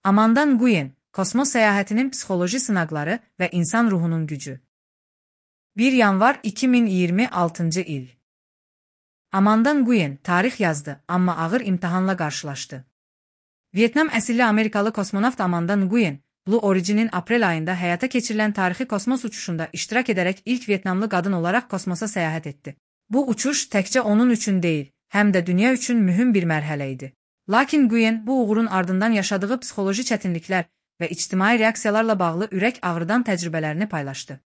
Amanda Nguyen, kosmos səyahətinin psixoloji sınaqları və insan ruhunun gücü. 1 yanvar 2026-cı il. Amanda Nguyen tarix yazdı, amma ağır imtahanla qarşılaşdı. Vyetnam əsilli Amerikalı kosmonavt Amanda Nguyen, Blue Origin'in aprel ayında həyata keçirilən tarixi kosmos uçuşunda iştirak edərək ilk Vyetnamlı qadın olaraq kosmosa səyahət etdi. Bu uçuş təkcə onun üçün deyil, həm də dünya üçün mühüm bir mərhələ idi. Lakin Nguyen bu uğurun ardından yaşadığı psixoloji çətinliklər və ictimai reaksiyalarla bağlı ürək ağrıdan təcrübələrini paylaşdı.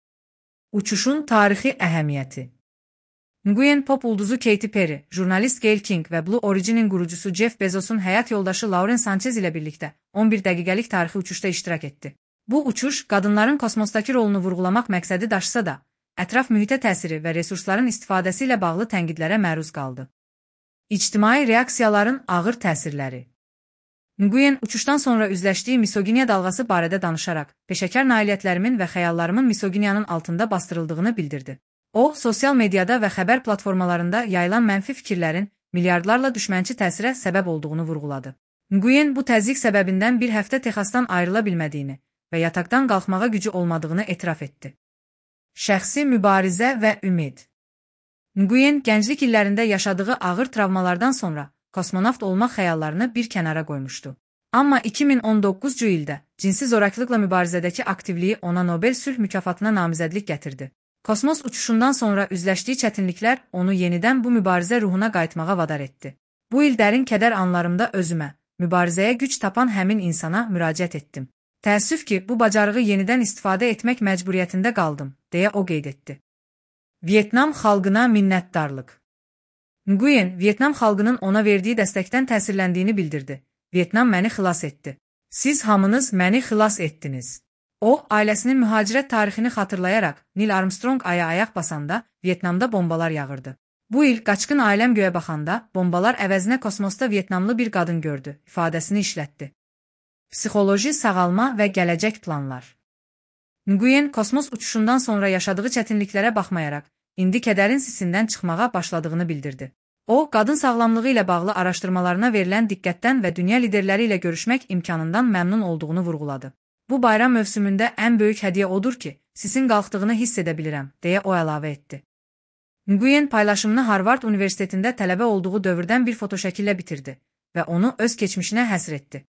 Uçuşun tarixi əhəmiyyəti. Nguyen pop ulduzu Katy Perry, jurnalist Gayle King və Blue Origin'in qurucusu Jeff Bezos'un həyat yoldaşı Lauren Sanchez ilə birlikdə 11 dəqiqəlik tarixi uçuşda iştirak etdi. Bu uçuş qadınların kosmosdakı rolunu vurğulamaq məqsədi daşısa da, ətraf mühitə təsiri və resursların istifadəsi ilə bağlı tənqidlərə məruz qaldı. İctimai reaksiyaların ağır təsirləri. Nguyen uçuşdan sonra üzləşdiyi misoginiya dalğası barədə danışaraq, peşəkar nailiyyətlərimin və xəyallarımın misoginiyanın altında bastırıldığını bildirdi. O, sosial mediada və xəbər platformalarında yayılan mənfi fikirlərin milyardlarla düşmənçi təsirə səbəb olduğunu vurğuladı. Nguyen bu təzyiq səbəbindən bir həftə Texasdan ayrıla bilmədiyini və yataqdan qalxmağa gücü olmadığını etiraf etdi. Şəxsi mübarizə və ümid. Nguyen gənclik illərində yaşadığı ağır travmalardan sonra kosmonavt olmaq xəyallarını bir kənara qoymuşdu. Amma 2019-cu ildə cinsi zorakılıqla mübarizədəki aktivliyi ona Nobel sülh mükafatına namizədlik gətirdi. Kosmos uçuşundan sonra üzləşdiyi çətinliklər onu yenidən bu mübarizə ruhuna qayıtmağa vadar etdi. Bu il dərin kədər anlarımda özümə, mübarizəyə güc tapan həmin insana müraciət etdim. Təəssüf ki, bu bacarığı yenidən istifadə etmək məcburiyyətində qaldım, deyə o qeyd etdi. Vyetnam xalqına minnətdarlıq. Nguyen, Vyetnam xalqının ona verdiyi dəstəkdən təsirləndiyini bildirdi. Vyetnam məni xilas etdi. Siz hamınız məni xilas etdiniz. O, ailəsinin mühacirət tarixini xatırlayaraq, Neil Armstrong aya ayaq basanda, Vyetnamda bombalar yağırdı. Bu il qaçqın ailəm göyə baxanda, bombalar əvəzinə kosmosda Vyetnamlı bir qadın gördü, ifadəsini işlətdi. Psixoloji sağalma və gələcək planlar. Nguyen kosmos uçuşundan sonra yaşadığı çətinliklərə baxmayaraq, indi kədərin sisindən çıxmağa başladığını bildirdi. O, qadın sağlamlığı ilə bağlı araşdırmalarına verilən diqqətdən və dünya liderləri ilə görüşmək imkanından məmnun olduğunu vurğuladı. Bu bayram mövsümündə ən böyük hədiyyə odur ki, sisin qalxdığını hiss edə bilirəm, deyə o əlavə etdi. Nguyen paylaşımını Harvard Universitetində tələbə olduğu dövrdən bir fotoşəkillə bitirdi və onu öz keçmişinə həsr etdi.